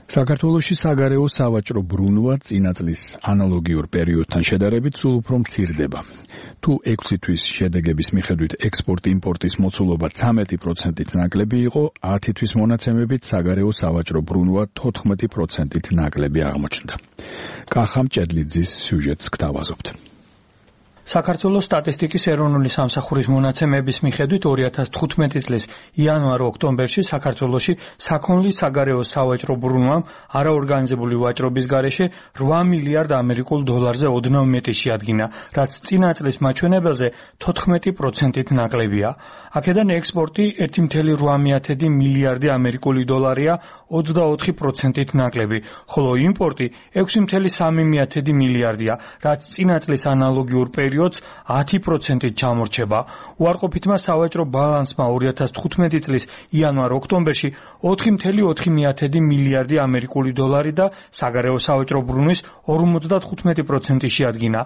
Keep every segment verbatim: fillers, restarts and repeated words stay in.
საქართველოში საგარეო სავაჭრო ბრუნვა წინა წლის ანალოგიურ პერიოდთან შედარებით სულ უფრო მცირდება. თუ ექვსი თვის შედეგების მიხედვით ექსპორტ-იმპორტის მოცულობა ცამეტი პროცენტით ნაკლები იყო, ათი თვის მონაცემებით საგარეო სავაჭრო ბრუნვა თოთხმეტი პროცენტით ნაკლები აღმოჩნდა. კახა მჭედლიძის სიუჟეტს გთავაზობთ. საქართველოს სტატისტიკის ეროვნული სამსახურის მონაცემების მიხედვით ორი ათას თხუთმეტი წლის იანვარ-ოქტომბერში საქართველოში საქონლის საგარეო სავაჭრო ბრუნვამ არაორგანიზებული ვაჭრობის გარეშე რვა მილიარდ ამერიკულ დოლარზე ოდნავ მეტი შეადგინა, რაც წინა წლის მაჩვენებელზე თოთხმეტი პროცენტით ნაკლებია. აქედან ექსპორტი ერთი მცდარი რვა მილიარდი ამერიკული დოლარია, ოცდაოთხი პროცენტით ნაკლები, ხოლო იმპორტი ექვსი მცდარი სამი მილიარდია, რაც წინა წლის ანალოგიურ პერიოდს ათი პროცენტით ჩამორჩება. უარყოფითმა სავაჭრო ბალანსმა ორი ათას თხუთმეტი წლის იანვარ-ოქტომბერში ოთხი მცდარი ოთხი მილიარდი ამერიკული დოლარი და საგარეო სავაჭრო ბრუნვის ორმოცდათხუთმეტი პროცენტი შეადგინა.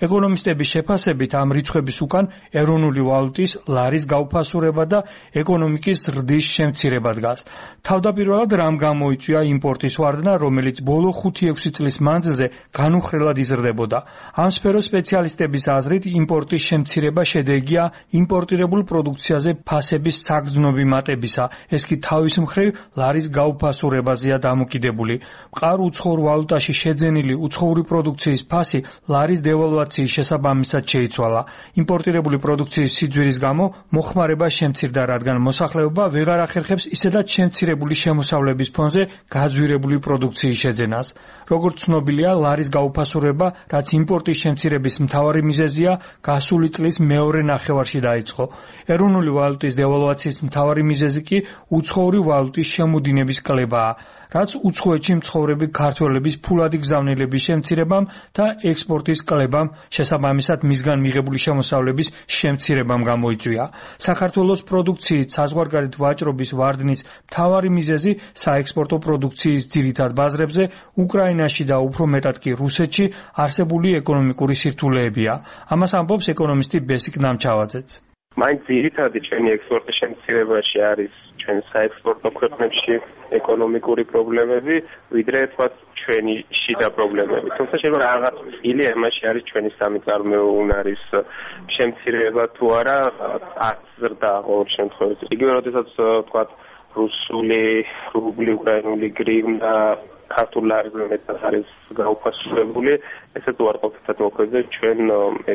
ეკონომისტების შეფასებით ამ რიცხვების უკან ეროვნული ვალუტის ლარის გაუფასურება და ეკონომიკის ზრდის შემცირება დგას. თავდაპირველად რამ გამოიწვია იმპორტის ვარდნა, რომელიც ბოლო ხუთი-ექვსი წლის მანძილზე განუხრელად იზრდებოდა. ამ სფეროს სპეციალისტების აზრით იმპორტის შემცირება შედეგია იმპორტირებულ პროდუქციაზე ფასების საგრძნობი მატებისა. ეს კი თავის მხრივ ლარის გაუფასურებაზეა დამოკიდებული. მყარ უცხოურ ვალუტაში შეძენილი უცხოური პროდუქციის ფასი ლარის დევალვაციის შესაბამისად შეიცვალა. იმპორტირებული პროდუქციის სიძვირის გამო მოხმარება შემცირდა, რადგან მოსახლეობა ვეღარ ახერხებს ისედაც შემცირებული შემოსავლების ფონზე გაძვირებული პროდუქციის შეძენას. როგორც ცნობილია, ლარის გაუფასურება, რაც იმპორტის შემცირების მთავარი მიზეზია, გასული წლის მეორე ნახევარში დაიწყო. ეროვნული ვალუტის დევალვაციის მთავარი მიზეზი კი უცხოური ვალუტის შემოდინების კლებაა, რაც უცხოეთში მცხოვრები ქართველების ფულადი გზავნილების შემცირებამ და ექსპორტის კლებამ, შესაბამისად მისგან მიღებული შემოსავლების შემცირებამ გამოიწვია. საქართველოს პროდუქციით საზღვარგარეთ ვაჭრობის ვარდნის მთავარი მიზეზი საექსპორტო პროდუქციის ძირითად ბაზრებზე, უკრაინაში და უფრო მეტად კი რუსეთში არსებული ეკონომიკური სირთულეებია. ამას ამბობს ეკონომისტი ბესიკ ნამჩავაძეც. მაინც ძირითადი ჩვენი ექსპორტის შემცირებაში არის ჩვენ საექსპორტო ქვეყნებში ეკონომიკური პრობლემები, ვიდრე თქვათ ჩვენი შიდა პრობლემები. თუმცა შეიძლება რაღაც ილი ამაში არის ჩვენი სამიწარმოო უნარის შემცირება თუ არა, აზრდა ყოველ შემთხვევაში. იგივე როდესაც თქვათ რუსული რუბლი, უკრაინული გრივნა, ქართულ ლარზე მეტად არის გაუფასურებული, ესეც უარყოფითად მოქმედებს ჩვენ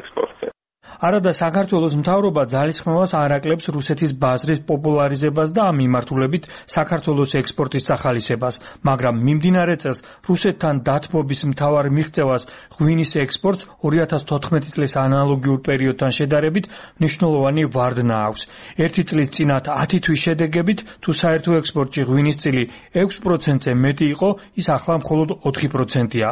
ექსპორტზე. არადა საქართველოს მთავრობა ძალისხმევას არ აკლებს რუსეთის ბაზრის პოპულარიზებას და ამ მიმართულებით საქართველოს ექსპორტის სახალისებას, მაგრამ მიმდინარე წელს რუსეთთან დათბობის მთავარ მიღწევას ღვინის ექსპორტს ორი ათას თოთხმეტი წლის ანალოგიურ პერიოდთან შედარებით მნიშვნელოვანი ვარდნა აქვს. ერთი წლის წინათ ათი თვის შედეგებით, თუ საერთო ექსპორტში ღვინის წილი ექვს პროცენტზე მეტი იყო, ის ახლა მხოლოდ ოთხი პროცენტია.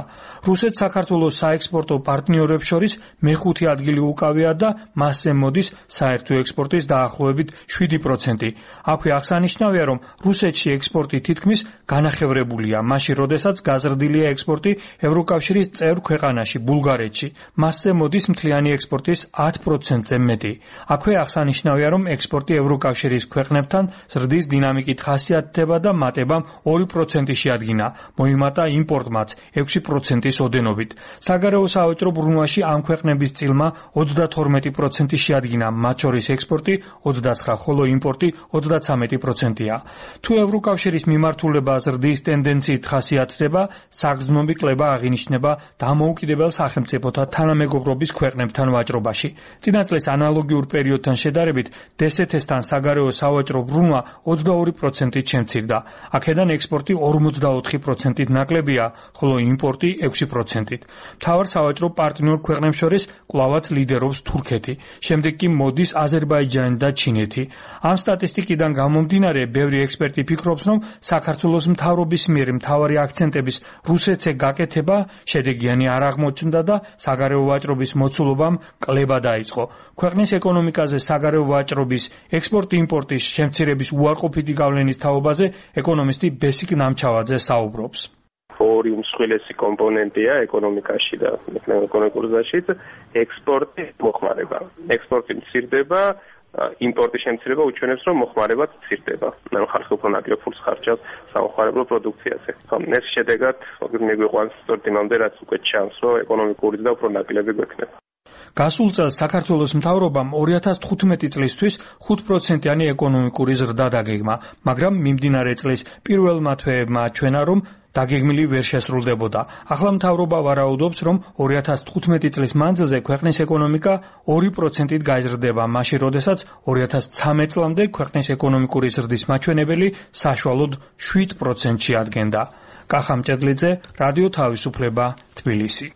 რუსეთს საქართველოს საექსპორტო პარტნიორებს შორის მეხუთე ადგილი უკავია და მასზე მოდის საერთო ექსპორტის დაახლოებით შვიდი პროცენტი. აქვე აღსანიშნავია, რომ რუსეთში ექსპორტი თითქმის განახევრებულია, მაშინ როდესაც გაზრდილია ექსპორტი ევროკავშირის წევრ ქვეყანაში, ბულგარეთში. მასზე მოდის მთლიანი ექსპორტის ათ პროცენტზე მეტი. აქვე აღსანიშნავია, რომ ექსპორტი ევროკავშირის ქვეყნებთან ზრდის დინამიკით ხასიათდება და მატებამ ორი პროცენტი შეადგინა, მოიმატა იმპორტმაც ექვსი პროცენტის ოდენობით. საგარეო სავაჭრო ბრუნვაში ამ ქვეყნების წილმა ოცდათორმეტი პროცენტი შეადგინა, მათ შორის ექსპორტი ოცდაცხრა, ხოლო იმპორტი ოცდაცამეტი პროცენტია. თუ ევროკავშირის მიმართულება ზრდის ტენდენციით ხასიათდება, საგრძნობი კლება აღინიშნება დამოუკიდებელ სახელმწიფოთა თანამეგობრობის ქვეყნებთან ვაჭრობაში. წინა წლის ანალოგიურ პერიოდთან შედარებით დსთ-სთან საგარეო სავაჭრო ბრუნვა ოცდაორი პროცენტით შემცირდა. აქედან ექსპორტი ორმოცდაოთხი პროცენტით ნაკლებია, ხოლო იმპორტი ექვსი პროცენტით. მთავარ სავაჭრო პარტნიორ ქვეყნებს შორის კვლავაც ლიდერობს თურქეთი, შემდეგ კი მოდის აზერბაიჯანი და ჩინეთი. ამ სტატისტიკიდან გამომდინარე, ბევრი ექსპერტი ფიქრობს, რომ საქართველოს მთავრობის მიერ მთავარი აქცენტების რუსეთზე გაკეთება შედეგიანი არ აღმოჩნდა და საგარეო ვაჭრობის მოცულობამ კლება დაიწყო. ქვეყნის ეკონომიკაზე საგარეო ვაჭრობის ექსპორტ-იმპორტის შემცირების უარყოფითი გავლენის თაობაზე ეკონომისტი ბესიკ ნამჩავაძე საუბრობს. ორი უმსხვილესი კომპონენტია ეკონომიკაში და ეკონომიკურ ზრდაშიც ექსპორტი მოხმარება. ექსპორტი მცირდება, იმპორტის შემცირება უჩვენებს, რომ მოხმარებაც მცირდება. ანუ ხალხი უფრო ნაკლებ ფულს ხარჯავს სამოხმარებლო პროდუქციაზე. ეს შედეგად მიგვიყვანს სწორედ იმამდე, რაც უკვე ჩანს, რომ ეკონომიკური ზრდა უფრო ნაკლები გვექნება. გასულ წელს საქართველოს მთავრობამ ორი ათას თხუთმეტი წლისთვის ხუთ პროცენტიანი ეკონომიკური ზრდა დაგეგმა, მაგრამ მიმდინარე წლის პირველმა თვეებმა აჩვენა, რომ დაგეგმილი ვერ შესრულდებოდა. ახლა მთავრობა ვარაუდობს, რომ ორი ათას თხუთმეტი წლის მანძილზე ქვეყნის ეკონომიკა ორი პროცენტით გაიზრდება, მაშინ როდესაც ორი ათას ცხრამეტ წლამდე ქვეყნის ეკონომიკური ზრდის მაჩვენებელი საშუალოდ შვიდ პროცენტში ადგენდა. კახა მჭედლიძე, რადიო თავისუფლება, თბილისი.